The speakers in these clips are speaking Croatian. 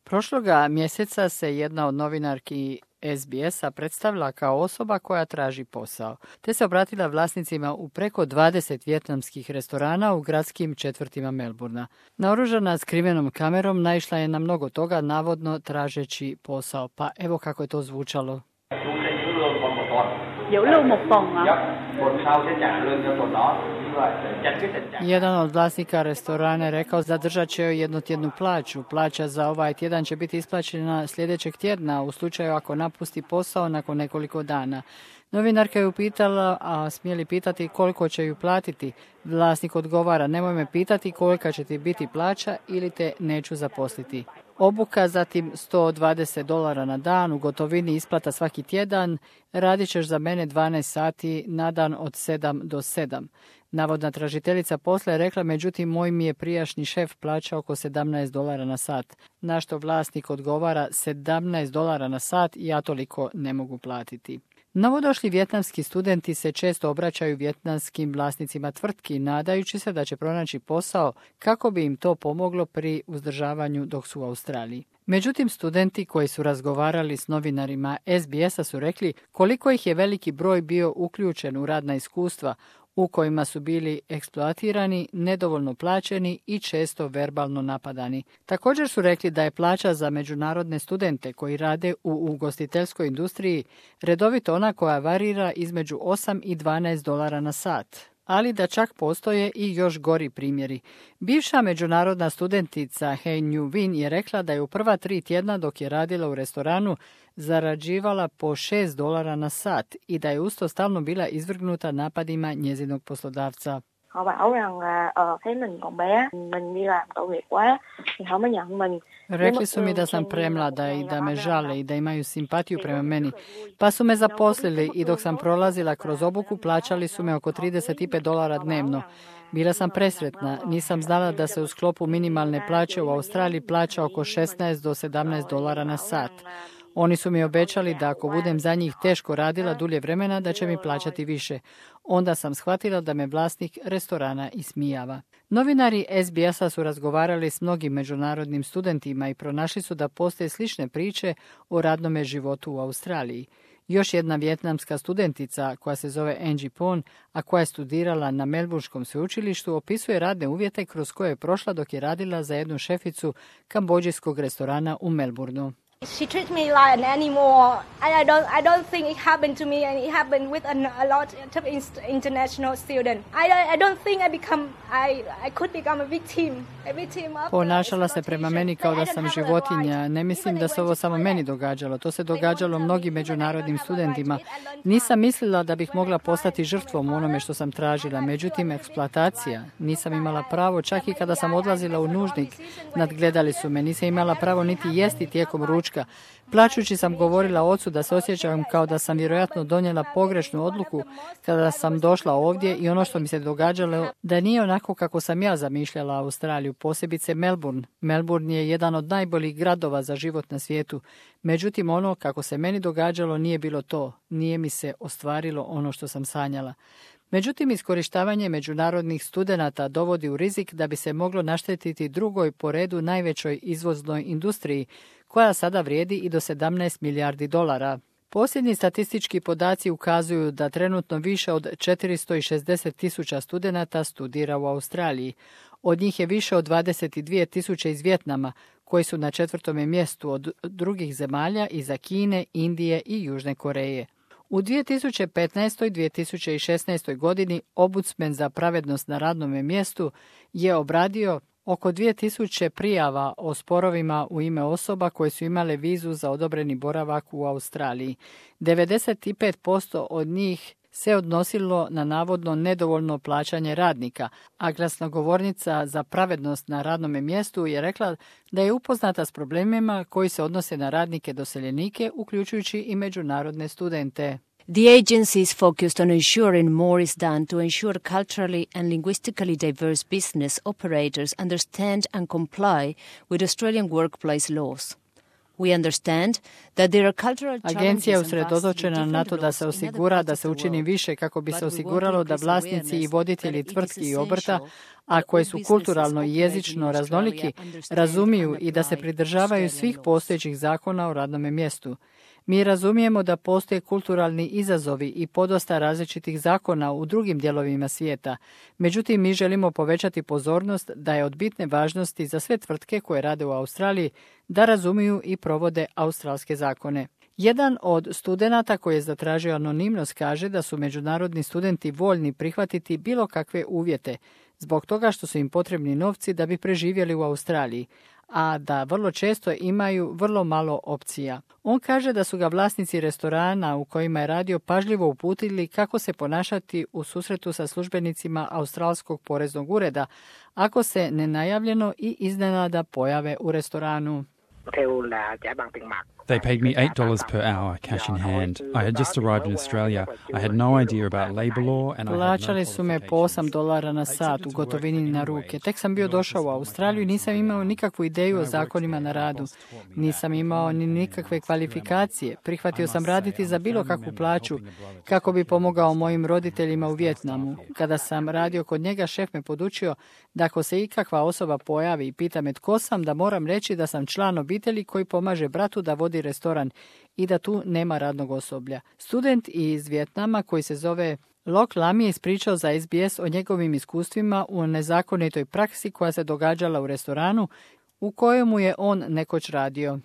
Prošloga mjeseca se jedna od novinarki SBS-a predstavila kao osoba koja traži posao, te se obratila vlasnicima u preko 20 vijetnamskih restorana u gradskim četvrtima Melbourna. Naoružana skrivenom kamerom naišla je na mnogo toga, navodno tražeći posao. Pa evo kako je to zvučalo. Jedan od vlasnika restorana je rekao zadržat će joj jednotjednu plaću. Plaća za ovaj tjedan će biti isplaćena sljedećeg tjedna u slučaju ako napusti posao nakon nekoliko dana. Novinarka je upitala, a smije li pitati koliko će ju platiti. Vlasnik odgovara, nemoj me pitati kolika će ti biti plaća ili te neću zaposliti. Obuka, zatim $120 na dan, u gotovini isplata svaki tjedan, radit ćeš za mene 12 sati na dan od 7 do 7. Navodna tražiteljica posla je rekla, međutim, moj mi je prijašnji šef plaća oko $17 na sat. Na što vlasnik odgovara, $17 na sat, ja toliko ne mogu platiti. Novodošli vijetnamski studenti se često obraćaju vijetnamskim vlasnicima tvrtki, nadajući se da će pronaći posao kako bi im to pomoglo pri uzdržavanju dok su u Australiji. Međutim, studenti koji su razgovarali s novinarima SBS-a su rekli koliko ih je veliki broj bio uključen u radna iskustva u kojima su bili eksploatirani, nedovoljno plaćeni i često verbalno napadani. Također su rekli da je plaća za međunarodne studente koji rade u ugostiteljskoj industriji redovito ona koja varira između 8 i $12 na sat. Ali da čak postoje i još gori primjeri. Bivša međunarodna studentica Hei Nju Win je rekla da je u prva 3 tjedna dok je radila u restoranu zarađivala po $6 na sat i da je usto stalno bila izvrgnuta napadima njezinog poslodavca. Rekli su mi da sam premlada i da me žale i da imaju simpatiju prema meni. Pa su me zaposlili i dok sam prolazila kroz obuku plaćali su me oko $35 dnevno. Bila sam presretna, nisam znala da se u sklopu minimalne plaće u Australiji plaća oko $16 do $17 na sat. Oni su mi obećali da ako budem za njih teško radila dulje vremena, da će mi plaćati više. Onda sam shvatila da me vlasnik restorana ismijava. Novinari SBS-a su razgovarali s mnogim međunarodnim studentima i pronašli su da postoje slične priče o radnome životu u Australiji. Još jedna vijetnamska studentica, koja se zove Angie Pon, a koja je studirala na Melbournskom sveučilištu, opisuje radne uvjete kroz koje je prošla dok je radila za jednu šeficu kambodžijskog restorana u Melbourneu. She treats me like an animal, and I don't think it happened to me, and it happened with a lot of international students. I don't think I could become a victim of. Ponašala se prema meni kao da sam životinja. Ne mislim da se ovo samo meni događalo. To se događalo mnogim međunarodnim studentima. Nisam mislila da bih mogla postati žrtvom u onome što sam tražila. Međutim, eksploatacija. Nisam imala pravo, čak i kada sam odlazila u nužnik. Nadgledali su me. Nisam imala pravo niti jesti tijekom ručka. Plačući sam govorila ocu da se osjećam kao da sam vjerojatno donijela pogrešnu odluku kada sam došla ovdje i ono što mi se događalo da nije onako kako sam ja zamišljala Australiju, posebice Melbourne. Melbourne je jedan od najboljih gradova za život na svijetu. Međutim, ono kako se meni događalo nije bilo to. Nije mi se ostvarilo ono što sam sanjala. Međutim, iskorištavanje međunarodnih studenata dovodi u rizik da bi se moglo naštetiti drugoj po redu najvećoj izvoznoj industriji, koja sada vrijedi i do $17 milijardi. Posljednji statistički podaci ukazuju da trenutno više od 460,000 studenata studira u Australiji. Od njih je više od 22,000 iz Vijetnama, koji su na 4. mjestu od drugih zemalja iza Kine, Indije i Južne Koreje. U 2015. i 2016. godini Ombudsman za pravednost na radnome mjestu je obradio oko 2000 prijava o sporovima u ime osoba koje su imale vizu za odobreni boravak u Australiji. 95% od njih se odnosilo na navodno nedovoljno plaćanje radnika, a glasnogovornica za pravednost na radnome mjestu je rekla da je upoznata s problemima koji se odnose na radnike doseljenike, uključujući i međunarodne studente. The agency is focused on ensuring more is done to ensure culturally and linguistically diverse business operators understand and comply with Australian workplace laws. We understand that there are cultural Agencija je usredotočena na to da se osigura da se učini više kako bi se osiguralo da vlasnici i voditelji tvrtki i obrta, a koji su kulturalno i jezično raznoliki, razumiju i da se pridržavaju svih postojećih zakona o radnom mjestu. Mi razumijemo da postoje kulturalni izazovi i podosta različitih zakona u drugim dijelovima svijeta. Međutim, mi želimo povećati pozornost da je od bitne važnosti za sve tvrtke koje rade u Australiji da razumiju i provode australske zakone. Jedan od studenata koji je zatražio anonimnost kaže da su međunarodni studenti voljni prihvatiti bilo kakve uvjete, zbog toga što su im potrebni novci da bi preživjeli u Australiji, a da vrlo često imaju vrlo malo opcija. On kaže da su ga vlasnici restorana u kojima je radio pažljivo uputili kako se ponašati u susretu sa službenicima Australskog poreznog ureda, ako se nenajavljeno i iznenada pojave u restoranu. They paid me $8 per hour, cash in hand. I had just arrived in Australia. I had no idea about labor law and I had no Plaćali su me po $8 na sat u gotovini na ruke. Tek sam bio došao u Australiju i nisam imao nikakvu ideju o zakonima na radu. Nisam imao ni nikakve kvalifikacije. Prihvatio sam raditi za bilo kakvu plaću kako bi pomogao mojim roditeljima u Vijetnamu. Kada sam radio kod njega, šef me podučio da ako se ikakva osoba pojavi i pita me tko sam, da moram reći da sam član obitelji koji pomaže bratu da vodi restoran i da tu nema radnog osoblja. Student iz Vijetnama koji se zove Lok Lam je ispričao za SBS o njegovim iskustvima u nezakonitoj praksi koja se događala u restoranu u kojemu je on nekoć radio.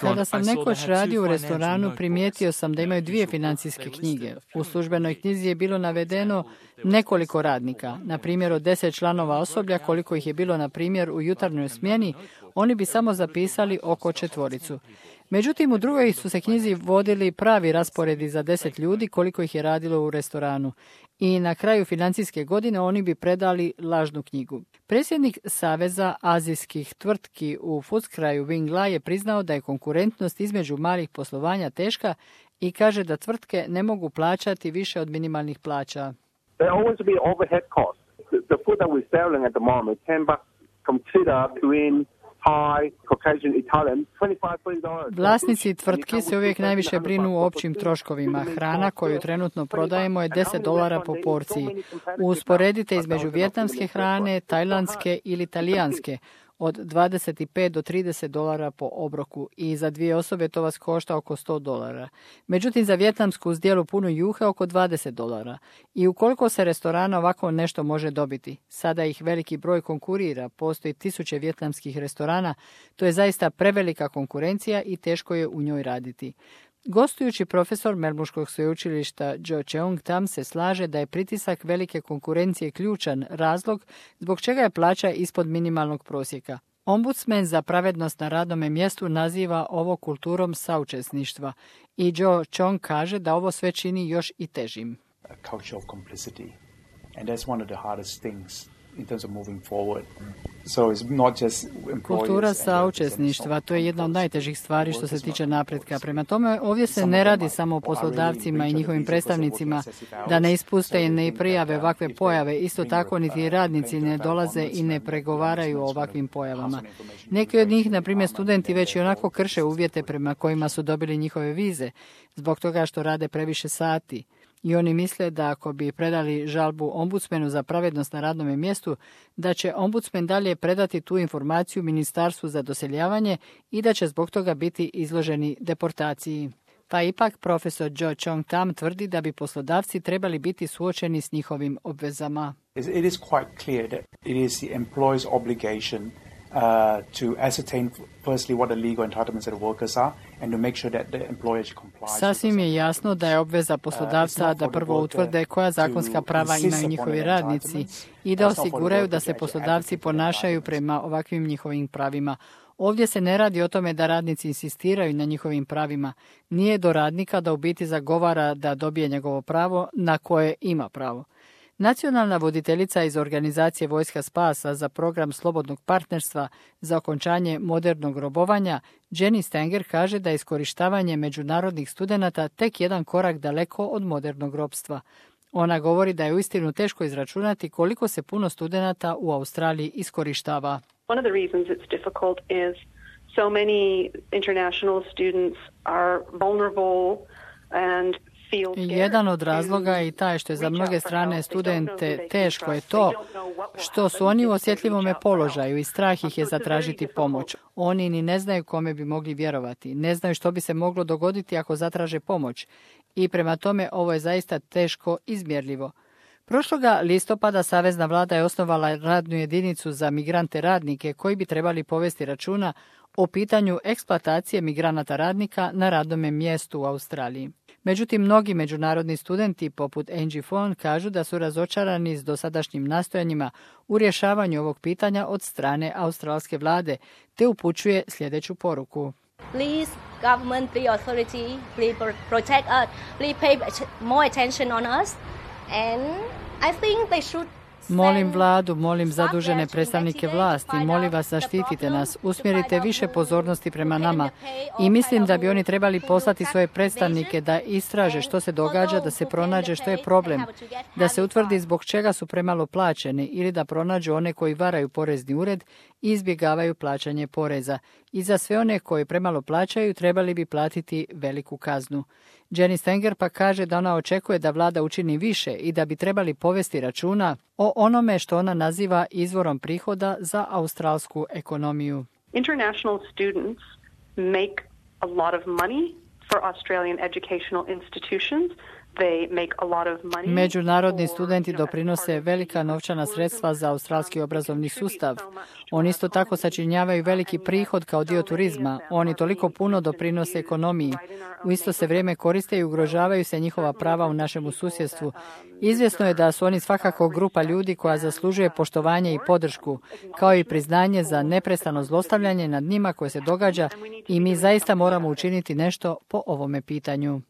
Kada sam nekoć radio u restoranu, primijetio sam da imaju 2 financijske knjige. U službenoj knjizi je bilo navedeno nekoliko radnika. Na primjer, od 10 članova osoblja, koliko ih je bilo, na primjer, u jutarnjoj smjeni, oni bi samo zapisali oko 4. Međutim, u drugoj su se knjizi vodili pravi rasporedi za 10 ljudi koliko ih je radilo u restoranu. I na kraju financijske godine oni bi predali lažnu knjigu. Predsjednik Saveza azijskih tvrtki u Footscryu Wing Lai je priznao da je konkurentnost između malih poslovanja teška i kaže da tvrtke ne mogu plaćati više od minimalnih plaća. There always be overhead costs. The food that we're selling at the moment, $10 from Chita to in Thai, Caucasian, Italian, $25. Vlasnici tvrtki se uvijek najviše brinu o općim troškovima. Hrana koju trenutno prodajemo je $10 po porciji. Usporedite između vijetnamske hrane, tajlandske ili talijanske, od $25 do $30 po obroku i za 2 osobe to vas košta oko $100. Međutim, za vijetnamsku zdjelu punu juhe oko $20. I ukoliko se restorana ovako nešto može dobiti, sada ih veliki broj konkurira, postoji 1000 vijetnamskih restorana, to je zaista prevelika konkurencija i teško je u njoj raditi. Gostujući profesor Melbourneškog sveučilišta Jo Cheong Tam se slaže da je pritisak velike konkurencije ključan razlog zbog čega je plaća ispod minimalnog prosjeka. Ombudsman za pravednost na radnome mjestu naziva ovo kulturom saučesništva i Jo Cheong kaže da ovo sve čini još i težim. Kultura saučesništva, to je jedna od najtežih stvari što se tiče napretka. Prema tome, ovdje se ne radi samo o poslodavcima i njihovim predstavnicima da ne ispuste i ne prijave ovakve pojave. Isto tako, niti radnici ne dolaze i ne pregovaraju o ovakvim pojavama. Neki od njih, na primjer studenti, već i onako krše uvjete prema kojima su dobili njihove vize, zbog toga što rade previše sati. I oni misle da ako bi predali žalbu ombudsmenu za pravednost na radnom mjestu, da će ombudsmen dalje predati tu informaciju Ministarstvu za doseljavanje i da će zbog toga biti izloženi deportaciji. Pa ipak profesor Jo Cheong Tam tvrdi da bi poslodavci trebali biti suočeni s njihovim obvezama. It is quite clear that it is the employer's obligation to ascertain firstly what the legal entitlements of the workers are and to make sure that the employer complies. Sasvim je jasno da je obveza poslodavca da prvo utvrde koja zakonska prava imaju njihovi radnici i da osiguraju da se poslodavci ponašaju prema ovakvim njihovim pravima. Ovdje se ne radi o tome da radnici insistiraju na njihovim pravima. Nije do radnika da u biti zagovara da dobije njegovo pravo na koje ima pravo. Nacionalna voditeljica iz organizacije Vojska spasa za program slobodnog partnerstva za okončanje modernog robovanja, Jenny Stanger, kaže da je iskorištavanje međunarodnih studenata tek jedan korak daleko od modernog ropstva. Ona govori da je uistinu teško izračunati koliko se puno studenata u Australiji iskorištava. One of the reasons it's difficult is so many international students are vulnerable and jedan od razloga je i taj što je za mnoge strane studente teško je to što su oni u osjetljivome položaju i strah ih je zatražiti pomoć. Oni ni ne znaju kome bi mogli vjerovati, ne znaju što bi se moglo dogoditi ako zatraže pomoć i prema tome ovo je zaista teško izmjerljivo. Prošloga listopada Savezna vlada je osnovala radnu jedinicu za migrante radnike koji bi trebali povesti računa o pitanju eksploatacije migranata radnika na radnome mjestu u Australiji. Međutim, mnogi međunarodni studenti, poput Angie Fon, kažu da su razočarani s dosadašnjim nastojanjima u rješavanju ovog pitanja od strane australske vlade, te upućuje sljedeću poruku. Please, government, please authority, please protect us, please pay more attention on us, and I think they should. Molim vladu, molim zadužene predstavnike vlasti, molim vas zaštitite nas, usmjerite više pozornosti prema nama i mislim da bi oni trebali poslati svoje predstavnike da istraže što se događa, da se pronađe što je problem, da se utvrdi zbog čega su premalo plaćeni ili da pronađu one koji varaju porezni ured i izbjegavaju plaćanje poreza. I za sve one koji premalo plaćaju trebali bi platiti veliku kaznu. Jenny Stenger pa kaže da ona očekuje da vlada učini više i da bi trebali povesti računa o onome što ona naziva izvorom prihoda za australsku ekonomiju. International students make a lot of money for Australian educational institutions. Međunarodni studenti doprinose velika novčana sredstva za australski obrazovni sustav. Oni isto tako sačinjavaju veliki prihod kao dio turizma. Oni toliko puno doprinose ekonomiji. U isto se vrijeme koriste i ugrožavaju se njihova prava u našemu susjedstvu. Izvjesno je da su oni svakako grupa ljudi koja zaslužuje poštovanje i podršku, kao i priznanje za neprestano zlostavljanje nad njima koje se događa i mi zaista moramo učiniti nešto po ovome pitanju.